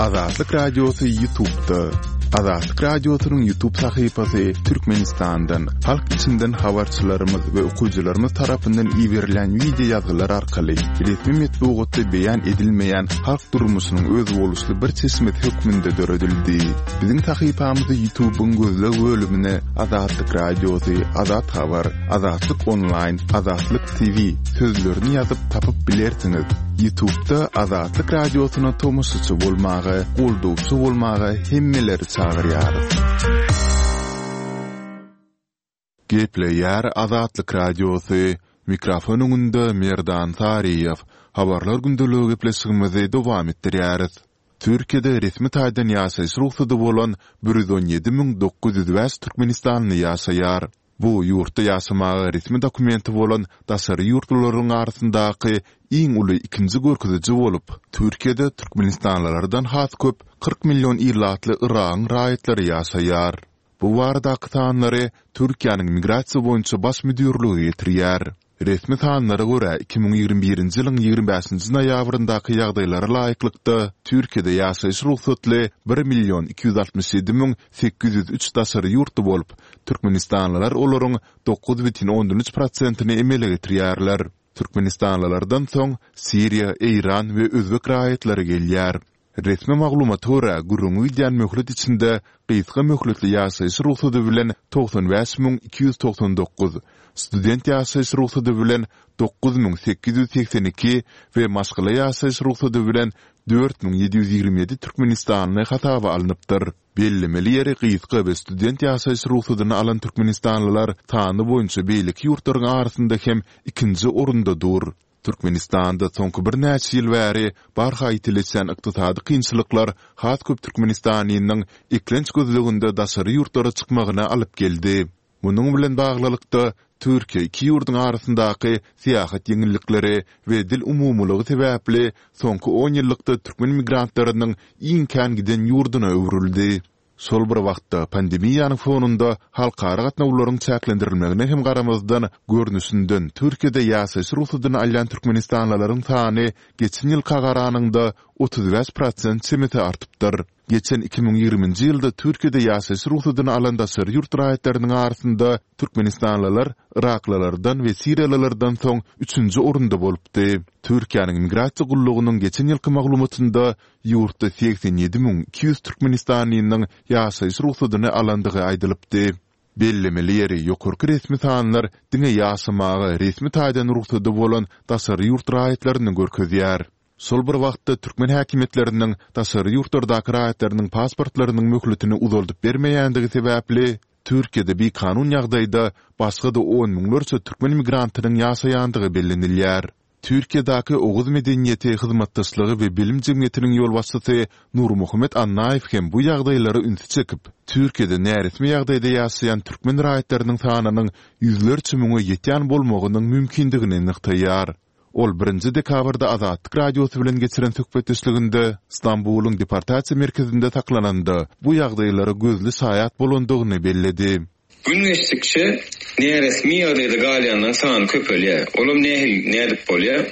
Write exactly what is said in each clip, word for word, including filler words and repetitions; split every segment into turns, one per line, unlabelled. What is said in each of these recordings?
Azatlyk Radiosy YouTube'da. Azatlyk Radiosynyň YouTube sahypasy Türkmenistandan, halk içinden habarçylarymyz we okyjylarymyz tarapyndan iberilen wideo ýazgylar arkaly resmi metbugatda beýan edilmeýän halk durmuşynyň özboluşly bir çeşmesi hökmünde döredildi. Biziň sahypamyzy YouTube'yň gözleg bölümine Azatlyk Radiosy, Azat Habar, Azatlyk Online, Azatlyk T V sözlerini ýazyp tapyp bilersiňiz. YouTube'da Azatlyk Radiosyna tomaşaçy bolmaga, goldawçy bolmaga hemmeleri çagyrýarys. Gepleýär Azatlyk Radiosy. Mikrofon öňünde Merdan Saryýew. Habarlar gündeligi gepleşigimizi dowam etdirýäris. Türkiýede resmi taýdan ýaşaýyş rugsady bolan bir ýüz on ýedi müň dokuz ýüz bäş türkmenistanly ýaşaýar. Bu ýurtda ýaşamaga resmi dokumenti bolan daşary ýurtlularyň arasyndaky iň uly ikinji görkeziji bolup, Türkiýede türkmenistanlylardan has köp kyrk million ilatly Yragyň raýatlary ýaşaýar. Bu baradaky sanlary Türkiýäniň Migrasiýa boýunça baş müdirligi getirýär. Resmi sanlara görä iki müň ýigrimi birinji ýylyň ýigrimi bäşinji noýabryndaky ýagdaýlara laýyklykda Türkiýede ýaşaýyş rugsatly bir million iki ýüz altmyş ýedi müň sekiz ýüz üç daşary ýurtly bolup, türkmenistanlylar olaryň dokuz bütin ondan üç prosentini emele getirýärler. Türkmenistanlylardan soň Siriýa, Eýran we Özbek raýatlary gelýär. Resmi maglumata görä, gürrüňi gidýän möhlet içinde gysga möhletli ýaşaýyş rugsady bilen togsan bäş müň iki ýüz togsan dokuz, student ýaşaýyş rugsady bilen dokuz müň sekiz ýüz segsen iki we maşgala ýaşaýyş rugsady bilen dört müň ýedi ýüz ýigrimi ýedi türkmenistanly hasaba alnypdyr. Bellemeli ýeri gysga we student ýaşaýyş rugsadyny alan türkmenistanlylar sany boýunça beýleki ýurtlaryň arasynda hem ikinji orunda dur. Türkmenistanda soňky birnäçe ýyl bäri barha ýitileşýän ykdysady kynçylyklar has köp türkmenistanynyň eklenç gözleginde daşary ýurtlara çykmagyna alyp geldi. Munuň bilen baglylykda, Türkiýe iki ýurduň arasyndaky syýahat ýeňillikleri we dil umumylygy sebäpli soňky on ýyllykda türkmen migrantlarynyň iň kän giden ýurduna öwrüldi. Şol bir wagtda pandemiýanyň fonunda halkara gatnawlaryň çäklendirilmegine hem garamazdan, görnüşinden Türkiýede ýaşaýyş rugsadyny alýan türkmenistanlylaryň sany geçen ýylka garanyňda otuz bäş prosent çemesi artypdyr. Geçen iki müň ýigriminji ýylda Türkiýede ýaşaýyş rugsadyny alan daşary ýurt raýatlarynyň arasynda türkmenistanlylar yraklylardan we siriýalylardan soň üçünji orunda bolupdy. Türkiýäniň migrasiýa gullugynyň geçen ýylky maglumatynda ýurtda segsen ýedi müň iki ýüz türkmenistanlynyň ýaşaýyş rugsadyny alandygy aýdylypdy. Bellemeli ýeri, ýokarky resmi sanlar diňe ýaşamaga resmi taýdan rugsady bolan daşary ýurt raýatlaryny görkezýär. Şol bir wagtda türkmen häkimiýetleriniň daşary ýurtlardaky raýatlarynyň pasportlarynyň möhletini uzaldyp bermeýändigi sebäpli Türkiýede bikanun ýagdaýda başga-da on müňlerçe türkmen migrantynyň ýaşaýandygy bellenilýär. Türkiýedäki Oguz medeniýeti, hyzmatdaşlygy we bilim jemgyýetiniň ýolbaşçysy Nurmuhammet Annaýew hem bu ýagdaýlara ünsi çekip, Türkiýede näresmi ýagdaýda ýaşaýan türkmen raýatlarynyň sanynyň ýüzlerçe müňe ýetýän bolmagynyň mümkindigini nygtaýar. Ol birinji dekabrda Azatlyk Radiosy bilen geçiren söhbetdeşliginde Stambulyň deportasiýa merkezinde saklananda bu ýagdaýlara gözli şaýat bolandygyny belledi.
Gün geçdikçe näresmi ýagdaýda galýanlaryň sany köpelýär. Olam nähili, nädip bolýar?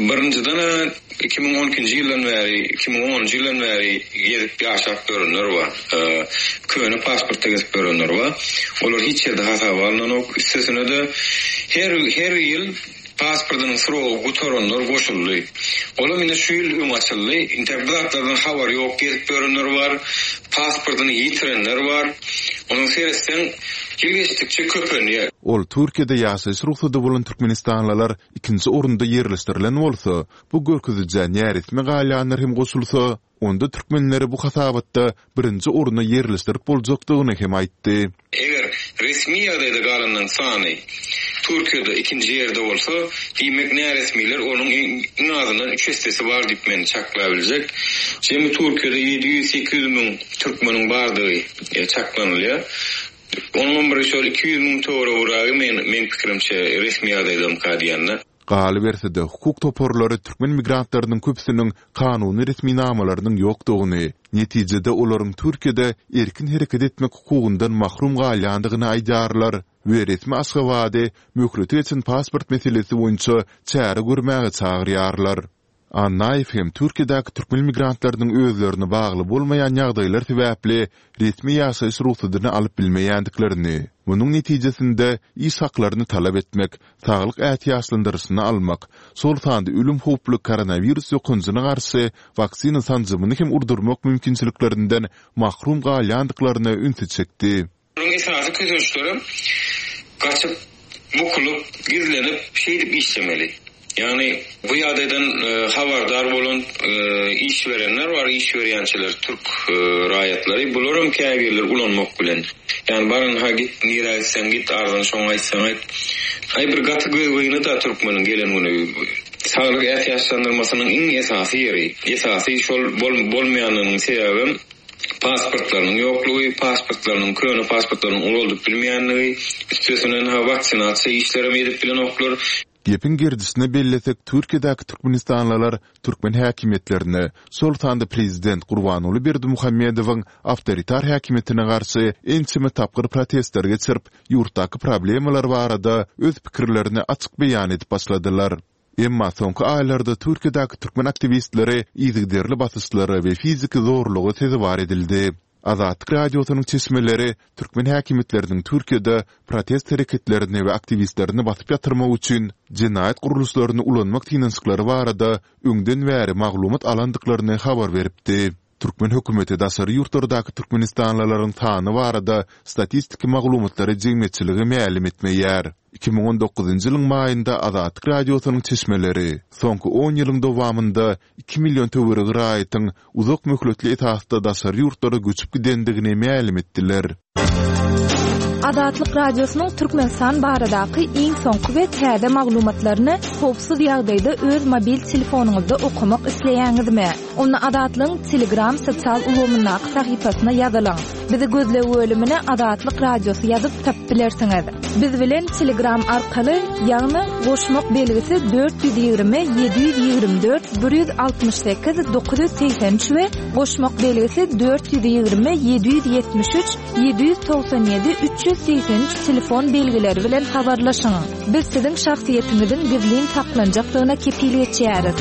Birinjiden-ä iki müň on ikinji ýyldan bäri, iki müň onunjy ýyldan bäri gezip ýaşap ýörenler bar. Köne pasportda gezip ýörenler bar. Olar hiç ýerde hasaba alnanok. Üstesine-de her, her ýyl pasportynyň srogy gutaranlar goşuldy. Olam indi şu ýyl öň açyldy. Intäk bu zatlardan habary ýok gezip ýörenler bar. Pasportyny ýitirenler bar. Onuň seretseň ýyl geçdikçe köpelýär.
Ol Türkiýede ýaşaýyş rugsady bolan türkmenistanlylar ikinji orunda ýerleşdirilen bolsa, bu görkezijä näresmi galýanlar hem goşulsa, onda türkmenleri bu hasabatda birinji oruna ýerleşdirip boljakdygyny hem aýtdy.
Eger resmi ýagdaýda galanlaryň sany Türkiýede ikinji ýerde bolsa, diýmek näresmiler onuň iň azyndan üç essesi bar diýip men çaklabiljek. Jemi Türkiýede ýedi ýüz sekiz ýüz müň türkmeniň bardygy çaklanylýar. Onuň bir şol iki ýüz müň töweregiragy men, meň pikirimçe resmi ýagdaýdamyka diýende.
Galyberse-de, hukuk toparlary türkmen migrantlarynyň köpüsiniň kanuny resminamalarynyň ýokdugyny, netijede olaryň Türkiýede erkin hereket etmek hukugyndan mahrum galýandygyny aýdýarlar we resmi Aşgabady möhleti geçen pasport meselesi boýunça çäre görmäge çagyrýarlar. Annaýew hem Türkiýedäki türkmen migrantlarynyň özlerine bagly bolmaýan ýagdaýlar sebäpli resmi ýaşaýyş rugsadyny alyp bilmeýändiklerini, munuň netijesinde iş haklaryny talap etmek, saglyk ätiýaçlandyryşyny almak, şol sanda ölüm howply koronawirus ýokanjyna garşy waksina sanjymyny hem urdurmak mümkinçiliklerinden mahrum galýandyklaryna ünsi çekdi.
Onuň esasy kösençlerem gaçyp, bukulyp, gizlenip, şeýdip işlemeli. Ýagny bu ýagdaýdan habardar bolan iş berenler bar, iş berýänçiler türk raýatlary. Bularam käbirleri ulanmak bilen. Ýagny baryn-ha git, nirä gitseň git, arzyňy şoňa aýtsaň aýt. Aý bir gaty gözgyny-da türkmeniň gelen güni. Saglyk ätiýaçlandyrmasynyň iň esasy ýeri, esasy şol bolmaýanynyň sebäbem pasportlarynyň ýoklugy, pasportlarynyň köne pasportlarynyň ulaldyp bilmeýänligi, üstesinen-ha waksinasiýa işlerem edip bilenoklar.
Gepiň gerdişine bellesek, Türkiýedäki türkmenistanlylar türkmen häkimiýetlerine, şol sanda prezident Gurbanguly Berdimuhamedowyň awtoritar häkimiýetine garşy ençeme tapgyr protestler geçirip, ýurtdaky problemalar barada öz pikirlerini açyk beýan edip başladylar. Emma soňky aýlarda Türkiýedäki türkmen aktiwistleri yzygiderli basyşlara we fiziki zorluga sezewar edildi. Azatlyk Radiosynyň çeşmeleri türkmen häkimiýetleriniň Türkiýede protest hereketlerini we aktiwistlerini basyp ýatyrmak üçin jenaýat gurluşlaryny ulanmak synanyşyklary barada öňden bäri maglumat alandyklaryny habar beripdi. Türkmen hökümeti daşary ýurtlardaky türkmenistanlylaryň sany barada statistiki maglumatlary jemgyýetçilige mälim etmeýär. Iki müň on dokuzynjy ýylyň maýynda Azatlyk Radiosynyň çeşmeleri soňky on ýylyň dowamynda iki million töweregi raýatyň uzak möhletli esasda daşary ýurtlara göçüp gidendigini mälim etdiler.
Azatlyk Radiosynyň Türkmenistan baradaky iň soňky we täze maglumatlaryny howpsuz ýagdaýda öz mobil telefonyňyzda okamak isleýäňizmi? Onda Azatlygyň Telegram sosial ulgamyndaky sahypasyna ýazylyň. Bizi gözleg bölümine Azatlyk Radiosy ýazyp tapyp bilersiňiz. Biz bilen Telegram arkaly, ýagny goşmak belgisi dört ýüz ýigrimi ýedi ýüz ýigrimi dört bir ýüz altmyş sekiz dokuz ýüz segsen üç we goşmak belgisi dört ýüz ýigrimi ýedi ýüz ýetmiş üç ýedi ýüz togsan ýedi üç ýüz segsen üç telefon belgileri bilen habarlaşyň. Biz siziň şahsyýetiňiziň gizlin saklanjakdygyna kepil geçýäris.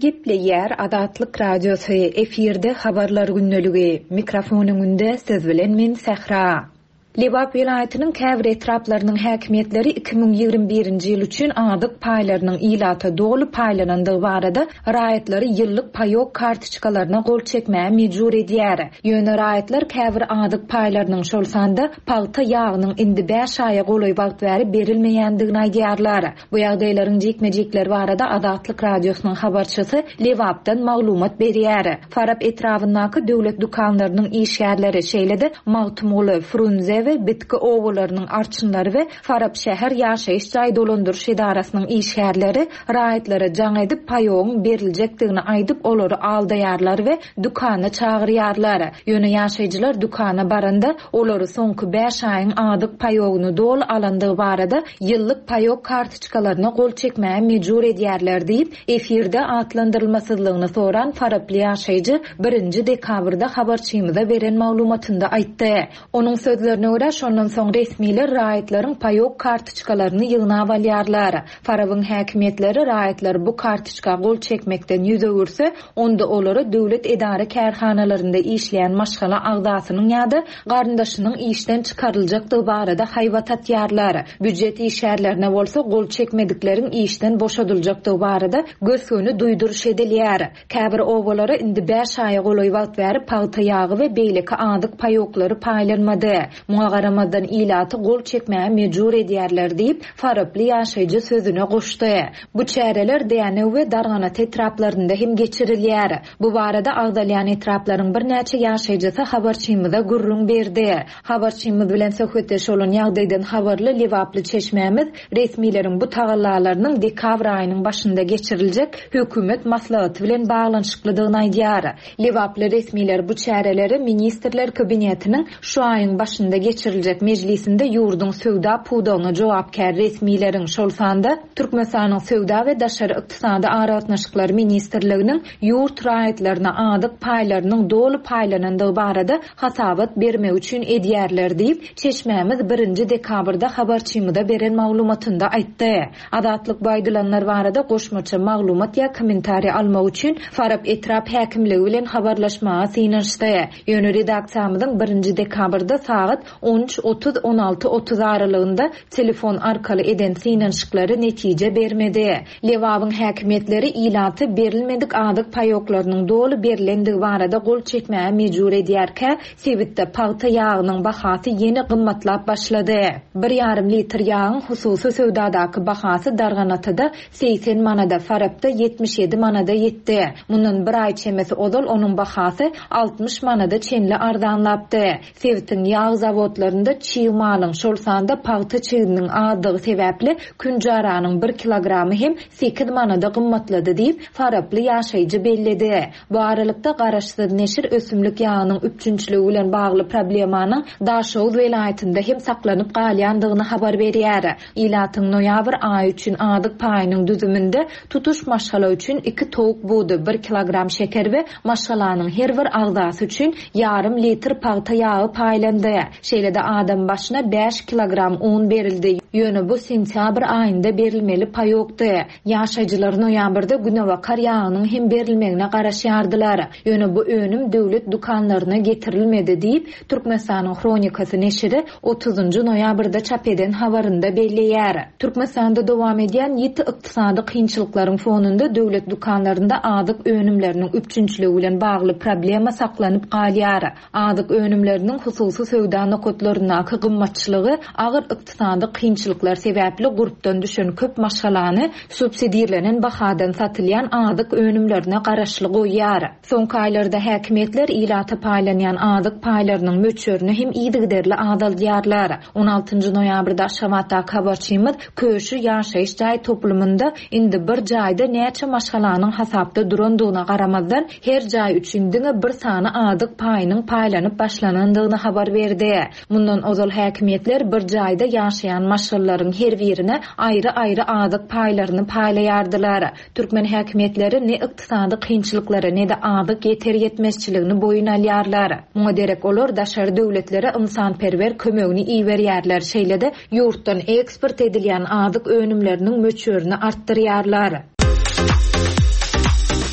Gepleýär Azatlyk Radiosy, efirde habarlar gündeligi. Mikrofon öňünde siz bilen men Sähra. Lebap welaýatynyň käbir etraplarynyň häkimiýetleri iki müň ýigrimi birinji ýyl üçin azyk paýlarynyň ilata doly paýlanandygy barada raýatlary ýyllyk paýok kartoçkalaryna gol çekmäge mejbur edýär. Ýöne raýatlar käbir azyk paýlarynyň şol sanda pagta ýagynyň indi bäş aýa golaý wagt bäri berilmeýändigini aýdýarlar. Bu ýagdaýlaryň jikme-jikleri barada Azatlyk Radiosynyň habarçysy Lebapdan maglumat berýär. Farap etrabyndaky döwlet dükanlarynyň işgärleri, şeýle-de Magtymguly, Frunze we Bitki obalarynyň arçynlary we Farap şäher ýaşaýyş jaý dolandyryş edarasynyň işgärleri raýatlara jaň edip paýogyň beriljekdigini aýdyp olary aldaýarlar we dükana çagyrýarlar. Ýöne ýaşaýjylar dükana baranda olary soňky bäş aýyň azyk paýogyny doly alandygy barada ýyllyk paýok kartoçkalaryna gol çekmäge mejbur edýärler diýip, efirde atlandyrylmasyzlygyny soran Faraply ýaşaýjy birinji dekabrda habarçymyza beren maglumatynda aýtdy. Onuň sözlerine görä, şondan soň resmiler raýatlaryň paýok kartoçkalaryny ýygnap alýarlar. Farabyň häkimiýetleri raýatlar bu kartoçka gol çekmekden ýüz öwürse, onda olara döwlet edara kärhanalarynda işleýän maşgala agzasynyň ýa-da garyndaşynyň işden çykaryljakdygy barada haýbat atýarlar. Býujet işgärlerine bolsa gol çekmedikleriň işden boşadyljakdygy barada gös-göni duýduryş edilýär. Käbir obalara indi bäş aýa golaý wagt bäri pagta ýagy we beýleki azyk paýoklary paýlanmady. Muňa garamazdan ilaty gol çekmäge mejbur edýärler diýip, Faraply ýaşaýjy sözüne goşdy. Bu çäreler Dänew we Darganat etraplarynda hem geçirilýär. Bu barada agzalýan etraplaryň birnäçe ýaşaýjysy habarçymyza gürrüň berdi. Habarçymyz bilen söhbetdeş bolan ýagdaýdan habarly Lebaply çeşmämiz resmileriň bu tagallalarynyň dekabr aýynyň başynda geçiriljek hökümet maslahaty bilen baglanyşyklydygyny aýdýar. Lebaply resmiler bu çäreleri Ministrler Kabinetiniň şu aýyň başynda geçiriljek mejlisinde ýurduň söwda pudagyna jogapkär resmileriň, şol sanda Türkmenistanyň Söwda we daşary ykdysady aragatnaşyklar ministrliginiň ýurt raýatlaryna azyk paýlarynyň doly paýlanandygy barada hasabat bermegi üçin edýärler diýip, çeşmämiz birinji dekabrda habarçymyza beren maglumatynda aýtdy. Azatlyk bu aýdylanlar barada goşmaça maglumat ýa kommentariý almak üçin Farap etrap häkimligi bilen habarlaşmaga synanyşdy. Ýöne redaksiýamyzyň birinji dekabrda sagat on üç otuz, on alty otuz aralygynda telefon arkaly eden synanyşyklary netije bermedi. Lebabyň häkimiýetleri ilaty berilmedik azyk paýoklarynyň doly berilendigi barada gol çekmäge mejbur edýärkä, sebitde pagta ýagynyň bahasy ýene gymmatlap başlady. Bir ýarym litr ýagyň hususy söwdadaky bahasy Darganatada segsen manada, Farapda ýetmiş ýedi manada ýetdi. Mundan bir aý çemesi ozal onuň bahasy altmyş manada çenli arzanlapdy. Sebitiň ýag zawodlarynda çig malyň, şol sanda pagta çiginiň azdygy sebäpli künjaranyň bir kilogramy hem sekiz manada gymmatlady diýip, Faraply ýaşaýjy belledi. Bu aralykda garaşsyz neşir ösümlik ýagynyň üpjünçiligi bilen bagly problemanyň Daşoguz welaýatynda hem saklanyp galýandygyny habar berýär. Ilatyň noýabr aýy üçin azyk paýynyň düzüminde tutuş maşgala üçin iki towuk budy, bir kilogram şeker we maşgalanyň her bir agzasy üçin ýarym litr pagta ýagy paýlandy. Şeýle-de adam başyna bäş kilogram un berildi. Ýöne bu sentýabr aýynda berilmeli paýokdy. Ýaşaýjylar noýabrda günebakar ýagynyň hem berilmegine garaşýardylar. Ýöne bu önüm döwlet dükanlaryna getirilmedi diýip, Türkmenistanyň Hronikasy neşiri otuzynjy noýabrda çap eden habarynda belleýär. Türkmenistanda dowam edýän ýiti ykdysady kynçylyklaryň fonunda döwlet dükanlarynda azyk önümleriniň üpjünçiligi bilen bagly problema saklanyp galýar. Azyk önümleriniň hususy söwda nokatlaryndaky gymmatçylygy agyr ykdysady kynçylyklar sebäpli gurpdan düşen köp maşgalany subsidirlenen bahadan satylýan azyk önümlerine garaşly goýýar. Soňky aýlarda häkimiýetler ilata paýlanýan azyk paýlarynyň möçberini hem yzygiderli azaldýarlar. On altynjy noýabrda Aşgabatdaky habarçymyz Köşi ýaşaýyş jaý toplumynda indi bir jaýda näçe maşgalanyň hasapda durandygyna garamazdan her jaý üçin diňe bir sany azyk paýynyň paýlanyp başlanandygyny habar berdi. Mundan ozal häkimiýetler bir jaýda ýaşaýan maşgalalaryň her birine aýry-aýry azyk paýlaryny paýlaýardylar. Türkmen häkimiýetleri ne ykdysady kynçylyklary ne-de azyk ýeter ýetmezçiligini boýun alýarlar. Muňa derek olar daşary döwletlere ynsanperwer kömegini iberýärler. Şeýle-de ýurtdan eksport edilýän azyk önümleriniň möçberini artdyrýarlar.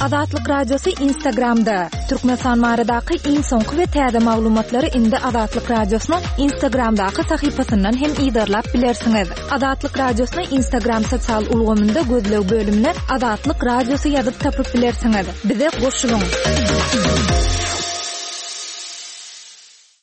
Azatlyk Radiosy Instagramda. Türkmenistan baradaky iň soňky we täze maglumatlary indi Azatlyk Radiosynyň Instagramdaky sahypasyndan hem yzarlap bilersiňiz. Azatlyk Radiosyny Instagram sosial ulgamynda gözleg bölümine Azatlyk Radiosy ýazyp tapyp bilersiňiz. Bize goşulyň.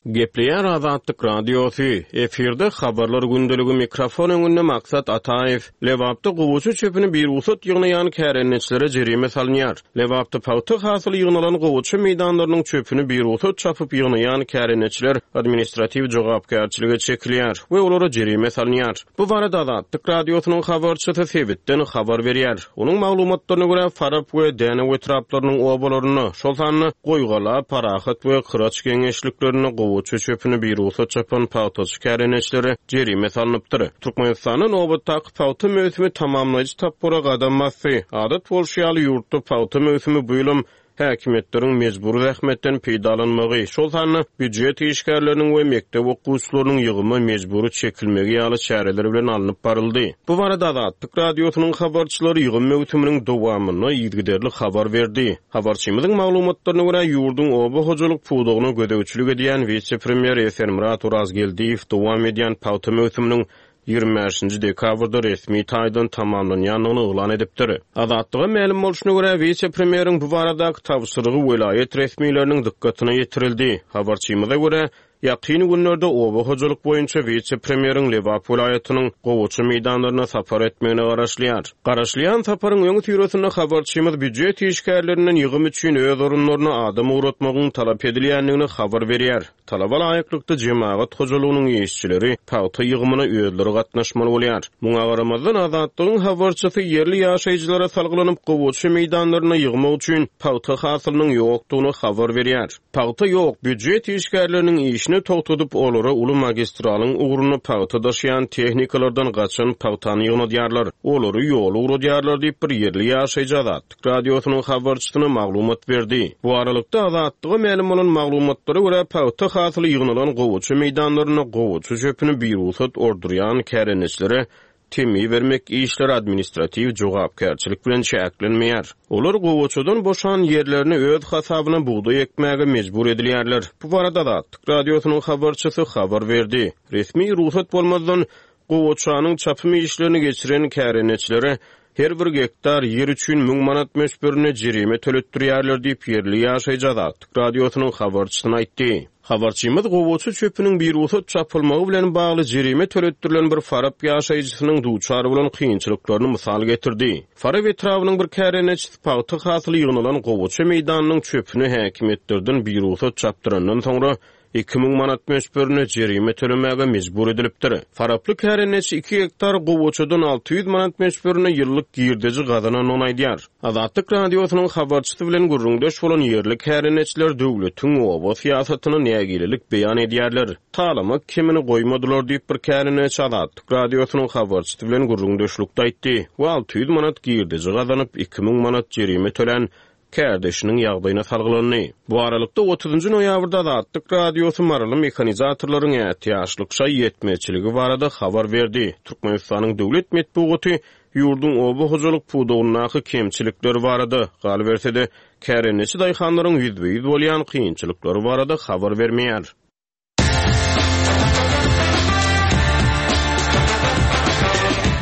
Gepleýär Azatlyk Radiosy. Efirde habarlar gündeligi mikrofon öňünde Maksat Ataýew. Lebapda gowaça çöpüni bir rugsat ýygnaýan kärendeçilere jerime salynýar. Lebapda pagta hasyly ýygnalan gowaça meýdanlarynyň çöpüni bir rugsat çapyp ýygnaýan kärendeçiler administratiw jogapkärçilige çekilýär we olara jerime salynýar. Bu barada Azatlyk Radiosynyň habarçysy sebitden habar berýär. Onuň maglumatlaryna görä Farap we Dänew etraplarynyň obalarynda, şol sanda Goýgala, Parahat we Kyraç geňeşliklerinde gowaça çöpüni bir rugsat çapan pagtaçy kärendeçilere jerime salnypdyr. Türkmenistanda nobatdaky pagta möwsümi tamamlaýjy tapgyra gadam basdy. Adat bolşy ýaly ýurtda pagta möwsümi bu ýylam häkimiýetleriň mejbur zähmetden peýdalanmagy, şol sanda býujet işgärleriniň we mekdep okuwçylarynyň ýygyma mejbury çekilmegi ýaly çäreler bilen alnyp baryldy. Bu barada Azatlyk Radiosynyň habarçylary ýygym möwsüminiň dowamynda yzygiderli habar berdi. Habarçymyzyň maglumatlaryna görä ýurduň oba hojalyk pudagyna gözegçilik edýän wise-premýer Esenmyrat Orazgeldiýew dowam edýän pagta möwsüminiň ýigrimi bäşinji dekabrda resmi taýdan tamamlanýandygyny yglan edipdir. Azatlyga mälim bolşuna görä wise-premýeriň bu baradaky tabşyrygy welaýat resmileriniň dykgatyna ýetirildi. Habarçymyza görä ýakyn günlerde oba hojalyk boýunça wise-premýeriň Lebap welaýatynyň gowaça meýdanlaryna sapar etmegine garaşylýar. Garaşylýan saparyň öň süresinde habarçymyz býujet işgärlerinden ýygym üçin öz orunlaryna adam ugratmagyň talap edilýändigini habar berýär. Talaba laýyklykda jemagat hojalygynyň işçileri pagta ýygymyna özleri gatnaşmaly bolýar. Muňa garamazdan Azatlygyň habarçysy ýerli ýaşaýjylara salgylanyp gowaça meýdanlaryna ýygmak üçin pagta hasylynyň ýokdugyny habar berýär. Pagta ýok, býujet işgärleriniň işine işini togtadyp, olara uly magistralyň ugrunda pagta daşaýan tehnikalardan gaçan pagtany ýygnadýarlar, olary ýola ugradýarlar diýip, bir ýerli ýaşaýjy Azatlyk Radiosynyň habarçysyna maglumat berdi. Bu aralykda Azatlyga mälim bolan maglumatlara görä, pagta hasyly ýygnalan gowaça meýdanlarynda gowaça çöpüni birugsat ordurýan kärendeçilere temmi bermek işleri administratiw jogapkärçilik bilen çäklenmeýär. Olar gowaçadan boşan ýerlerini öz hasabyna bugdaý ekmäge mejbur edilýärler. Bu barada Azatlyk Radiosynyň habarçysy habar berdi. Resmi rugsat bolmazdan gowaçanyň çapym işlerini geçiren kärendeçilere her bir gektar ýer üçin müň manat möçberinde jerime töletdirýärler diýip, ýerli ýaşaýjy Azatlyk Radiosynyň habarçysyna aýtdy. Habarçymyz gowaça çöpüniň birugsat çapylmagy bilen bagly jerime töletdirilen bir Farap ýaşaýjysynyň duçar bolan kynçylyklaryny mysal getirdi. Farap etrabynyň bir kärendeçisi pagta hasyly ýygnalan gowaça meýdanynyň çöpüni häkimiýetlerden birugsat çapdyrandan soňra iki müň manat möçberinde jerime tölemäge mejbur edilipdir. Faraply kärendeçi iki gektar gowaçadan alty ýüz manat möçberinde ýyllyk girdeji gazanandygyny aýdýar. Azatlyk Radiosynyň habarçysy bilen gürrüňdeş bolan ýerli kärendeçiler döwletiň oba syýasatyna nägilelik beýan edýärler. Talamak kemini goýmadylar diýip bir kärendeçi Azatlyk Radiosynyň habarçysy bilen gürrüňdeşlikde aýtdy we alty ýüz manat girdeji gazanyp iki müň manat jerime tölän kärdeşiniň ýagdaýyna salgylandy. Bu aralykda otuzynjy noýabrda Azatlyk Radiosy maryly mehanizatorlaryň ätiýaçlyk şaý ýetmezçiligi barada habar berdi. Türkmenistanyň döwlet metbugaty ýurduň oba hojalyk pudagyndaky kemçilikleri barada, galyberse-de kärendeçi daýhanlaryň ýüzbe-ýüz bolýan kynçylyklary barada habar bermeýär.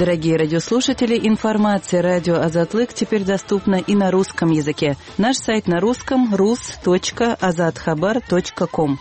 Дорогие радиослушатели, информация радио Азатлык теперь доступна и на русском языке. Наш сайт на русском рус точка азатхабар точка ком.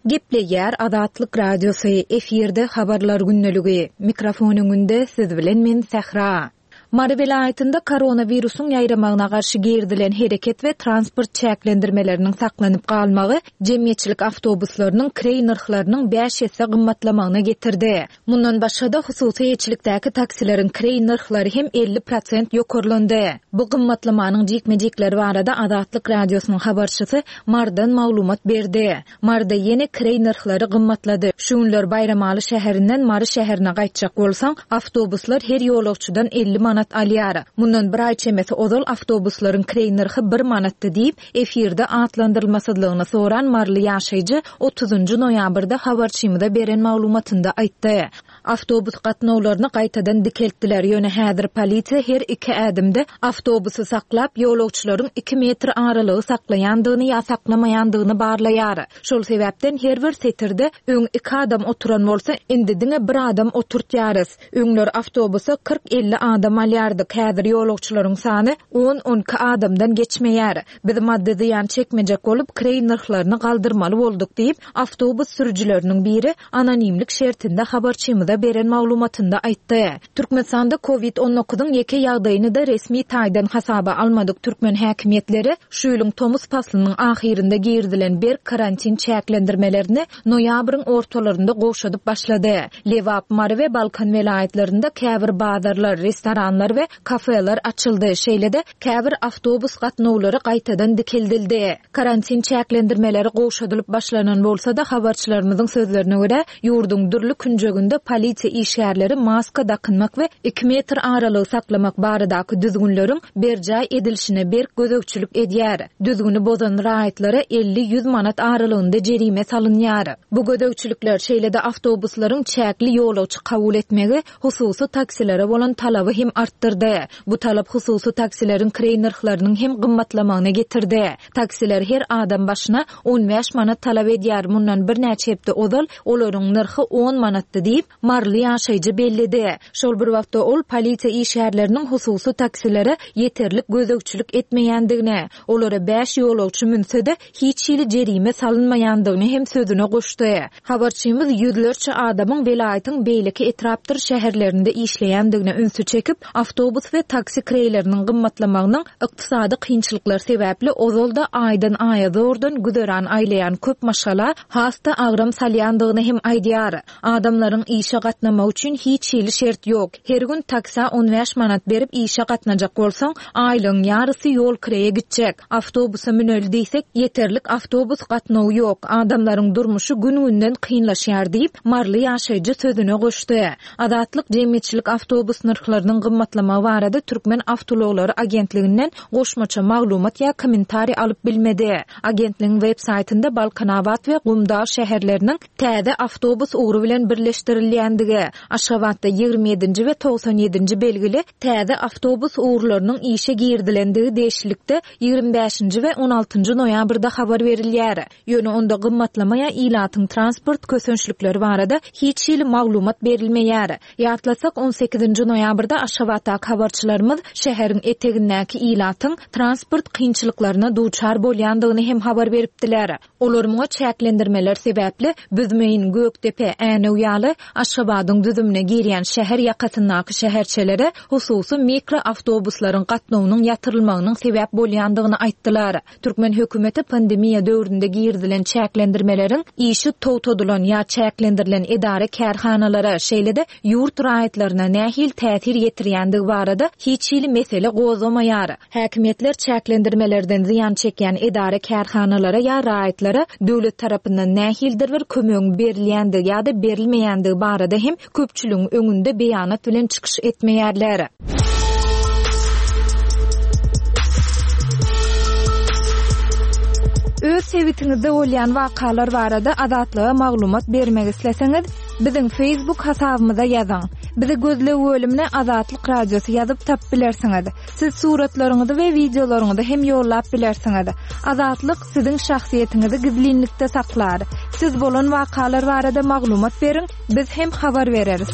Gepleýär Azatlyk Radiosy, efirde habarlar gündeligi. Mikrofon öňünde siz bilen men Sähra. Mary welaýatynda koronawirusyň ýaýramagyna garşy girizilen hereket we transport çäklendirmeleriniň saklanyp galmagy jemgyýetçilik awtobuslarynyň kireý nyrhlarynyň bäş esse gymmatlamagyna getirdi. Mundan başga-da hususy eýeçilikdäki taksileriň kireý nyrhlary hem elli prosent ýokarlandy. Bu gymmatlamanyň jikme-jikleri barada Azatlyk Radiosynyň habarçysy Mardan maglumat berdi. Marda ýene kireý nyrhlary gymmatlady. Şu günler Baýramaly şäherinden Mary şäherine gaýtjak bolsaň, awtobuslar her ýolagçydan elli manat alýar. Mundan bir aý çemesi ozal awtobuslaryň kireý nyrhy bir manatdy diýip, efirde atlandyrylmasyzlygyny soran Maryly ýaşaýjy otuzynjy noýabrda habarçymyza beren maglumatynda aýtdy. Awtobus gatnawlaryny gaýtadan dikeltdiler. Ýöne häzir polisiýa her iki ädimde awtobusy saklap, ýolagçylaryň iki metr aralygy saklaýandygyny ýa saklamaýandygyny barlaýar. Şol sebäpden her bir setirde öň iki adam oturan bolsa, indi diňe bir adam oturtýarys. Öňler awtobusa kyrk elli adam alýardyk. Häzir ýolagçylaryň sany on on iki adamdan geçmeýär. Biz maddy zyýan çekmejek bolup kireý nyrhlaryny galdyrmaly bolduk diýip, awtobus sürüjileriniň biri anonimlik şertinde habarçymyza beren maglumatynda aýtdy. Türkmenistanda COVID on dokuzyň ýeke ýagdaýyny da resmi taýdan hasaba almadyk türkmen häkimiýetleri şu ýylyň tomus paslynyň ahyrynda girizilen berk karantin çäklendirmelerini noýabryň ortalarynda gowşadyp başlady. Lebap, Mary we Balkan welaýatlarynda käbir bazarlar, restoranlar we kafeler açyldy. Şeýle-de käbir awtobus gatnawlary gaýtadan dikeldildi. Karantin çäklendirmeleri gowşadylyp başlanan bolsa-da habarçylarymyzyň sözlerine görä, ýurduň dürli künjeginde polisiýa işgärleri maska dakynmak we iki metr aralygy saklamak baradaky düzgünleriň berjaý edilişine berk gözegçilik edýär. Düzgüni bozan raýatlara elli ýüz manat aralygynda jerime salynýar. Bu gözegçilikler şeýle-de awtobuslaryň çäkli ýolagçy kabul etmegi hususy taksilere bolan talaby hem artdyrdy. Bu talap hususy taksileriň kireý nyrhlarynyň hem gymmatlamagyna getirdi. Taksiler her adam başyna on bäş manat talap edýär. Mundan birnäçe hepde ozal olaryň nyrhy on manatdy diýip, Maryly ýaşaýjy belledi. Şol bir wagtda ol polisiýa işgärleriniň hususy taksilere ýeterlik gözegçilik etmeýändigini, olara bäş ýolagçy münse-de hiç hili jerime salynmaýandygyny hem sözüne goşdy. Habarçymyz ýüzlerçe adamyň welaýatyň beýleki etrapdyr şäherlerinde işleýändigine ünsi çekip, awtobus we taksi kireýleriniň gymmatlamagynyň ykdysady kynçylyklar sebäpli ozalda aýdan aýa zordan güzeran aýlaýan köp maşgala has-da agram salýandygyny hem aýdýar. Adamlaryň işe
gatnamak üçin hiç hili şert ýok. Her gün taksa on bäş manat berip işe gatnajak bolsaň, aýlygyň ýarysy ýol kireýe gitjek. Awtobusa müneli diýsek, ýeterlik awtobus gatnawy ýok. Adamlaryň durmuşy gün-günden kynlaşýar diýip, Marly ýaşaýjy sözüne goşdy. Azatlyk jemgyýetçilik awtobus nyrhlarynyň gymmatlamagy barada Türkmen awtoulaglary agentliginden goşmaça maglumat ýa kommentariý alyp bilmedi. Agentligiň web saýtynda Balkanabat we Gumdag şäherleriniň täze awtobus ugry bilen birleşdirilýändigi, Aşgabatda ýigrimi ýedinji we togsan ýedinji belgili täze awtobus ugurlarynyň işe girdilendigi degişlilikde ýigrimi bäşinji we on altynjy noýabrda habar berilýär. Ýöne onda gymmatlama ýa ilatyň transport kösençlikleri barada hiç hili maglumat berilmeýär. Ýatlasak, on sekizinji noýabrda Aşgabatdaky habarçylarymyz şäheriň etegindäki ilatyň transport kynçylyklaryna duçar bolýandygyny hem habar beripdiler. Olar muňa çäklendirmeler sebäpli Büzmeýin, Gökdepe, Änew ýaly Aşgabadyň düzümine girýän şäher ýakasyndaky şäherçelere hususy mikroawtobuslaryň gatnawynyň ýatyrylmagynyň sebäp bolýandygyny aýtdylar. Türkmen hökümeti pandemiýa döwründe girdilen çäklendirmeleriň işi togtadylan ýa çäklendirilen edara kärhanalara, şeýle-de ýurt raýatlaryna nähili täsir ýetirýändigi barada hiç hili mesele gozgamaýar. Häkimiýetler çäklendirmelerden zyýan çekýän edara kärhanalara ýa raýatlara döwlet tarapyndan nähilidir bir kömegiň berilýändigi ýa-da berilmeýändigi barada hem köpçüligiň öňünde beýanat bilen çykyş etmeýärler. Öz sebitiňizde bolýan wakalar barada Azatlyga maglumat bermek isleseňiz, biziň Facebook hasabymyza ýazyň. Bizi gözleg bölümine Azatlyk Radiosy ýazyp tap bilersiňiz. Siz suratlaryňyzy we wideolaryňyzy hem ýollap bilersiňiz. Azatlyk siziň şahsyýetiňizi gizlinlikde saklar. Siz bolan wakalar barada maglumat beriň, biz hem habar bereris.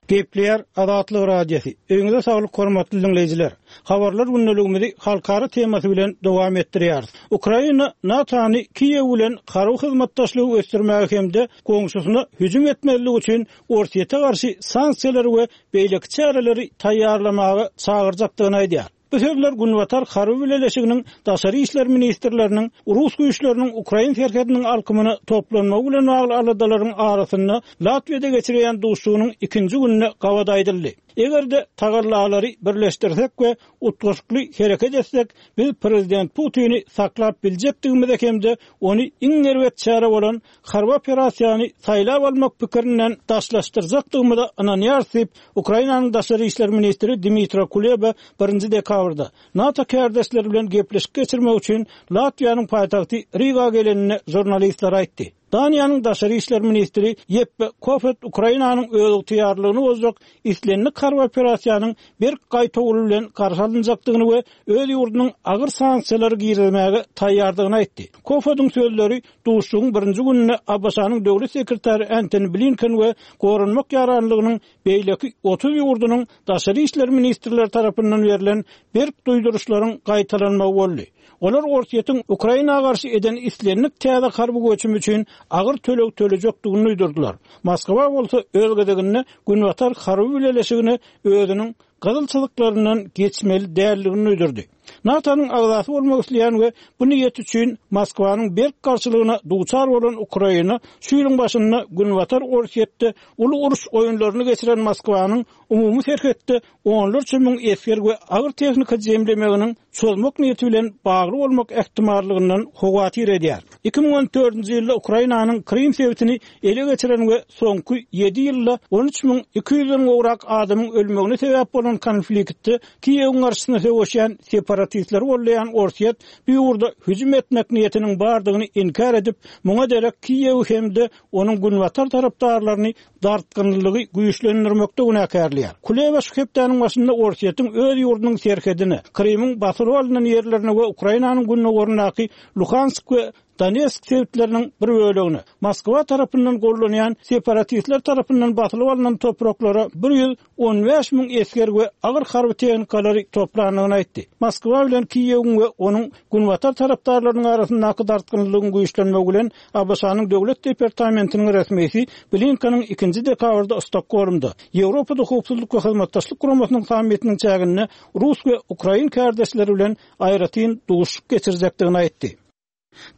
Gepleýär Azatlyk Radiosy. Öňüňize saglyk hormatly dinleýjiler. Habarlar gündeligimizi halkara temasy bilen dowam etdirýäris. Ukraina NATO-ny Kiýew bilen harby hyzmatdaşlygy ösdürmäge hem-de goňşusyna hüjüm etmezlik üçin Orsýete garşy sanksiýalary we beýleki çäreleri taýýarlamaga çagyrjakdygyny aýdýar. Bu sözler Günbatar Harby Bileleşiginiň Daşary işler ministrleriniň Rus güýçleriniň Ukrain serhediniň alkymyna toplanmagy bilen bagly aladalaryň arasynda Latwiýada geçirilen duşuşygynyň ikinji gününe gabat aýdyldy. Eger-de tagallalary birleşdirsek we utgaşykly hereket etsek, biz Prezident Putini saklap biljekdigimize hem-de ony iň erbet çäre bolan harby operasiýany saýlap almak pikirinden daşlaşdyrjakdygymyza ynanýarys diýip, Ukrainanyň Daşary işler ministri Dmitro Kuleba birinji dekabrda NATO kärdeşleri bilen gepleşik geçirmek üçin Latwiýanyň paýtagty Riga gelenini žurnalistler aýtdy. Daniýanyň Daşary işler ministri Jeppe Kofod Ukrainanyň özygtyýarlygyny bozjak islendik harby operasiýanyň berk gaýtawuly bilen garşy alynjakdygyny we öz ýurdunyň agyr sanksiýalary girizmäge taýýardygyny aýtdy. Kofodyň sözleri duşuşygyň birinji gününde ABŞ-nyň döwlet sekretary Antony Blinken we goranmak ýaranlygynyň beýleki otuz ýurdunyň daşary işler ministrleri tarapyndan berlen berk duýduryşlaryň gaýtalanmagy boldy. Olar Orsýetiň Ukraina garşy eden islendik täze harby göçüm üçin agyr töleg tölejekdigini duýdurdylar. Moskwa bolsa öz gezeginde Günbatar Harby Bileleşigine özüniň gyzyl çyzyklaryndan geçmeli däldigini duýdurdy. NATO-nyň agzasy bolmak isleýän we bu niýet üçin Moskwanyň berk garşylygyna duçar bolan Ukraina şu ýylyň başynda Günbatar Orsýetde uly uruş oýunlaryny geçiren Moskwanyň umumy serhetde onlarça müň esger we agyr tehnika jemlemeginiň çözmek niýeti bilen bagly bolmak ähtimallygyndan howatyr edýär. iki müň on dördünji ýylda Ukrainanyň Krym sebitini ele geçiren we soňky ýedi ýylda on üç müň iki ýüzden gowrak adamyň ölmegine sebäp bolan konfliktde Kiýewiň garşysyna söweşýän separatistleri gollaýan Orsýet bu ýurda hüjüm etmek niýetiniň bardygyny inkär edip, muňa derek Kiýewi hem-de onuň günbatar tarapdarlaryny dartgynlygy güýçlendirmekde günäkärleýär. Kuleba şu hepdäniň başynda Orsýetiň öz ýurdunyň serhedine, Krymyň basyryp alynan ýerlerine we Ukrainanyň gündogaryndaky Luhansk we Donetsk sebitleriniň bir bölegine, Moskwa tarapyndan gollanýan separatistler tarapyndan basylyp alynan topraklara bir ýüz on bäş müň esger we agyr harby tehnikalary toplandygyny aýtdy. Moskwa bilen Kiýewiň we onuň günbatar tarapdarlarynyň arasyndaky dartgynlygyň güýçlenmegi bilen ABŞ-nyň Döwlet departamentiniň resmisi Blinkeniň ikinji dekabrda Stokgolmda Ýewropada howpsuzlyk we hyzmatdaşlyk guramasynyň sammitiniň çäginde Rus we Ukrain kärdeşleri bilen aýratyn duşuşyk geçirjekdigini aýtdy.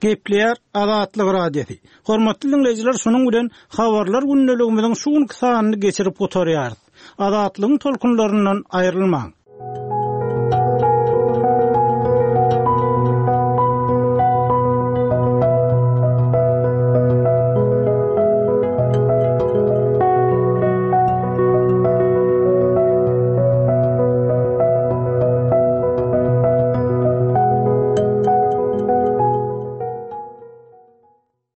Gepleýär Azatlyk Radiosy. Hormatly dinleýjiler, şunuň bilen habarlar gündeligimiziň şu günki sanyny geçirip gutarýarys. Azatlygyň tolkunlaryndan aýrylmaň.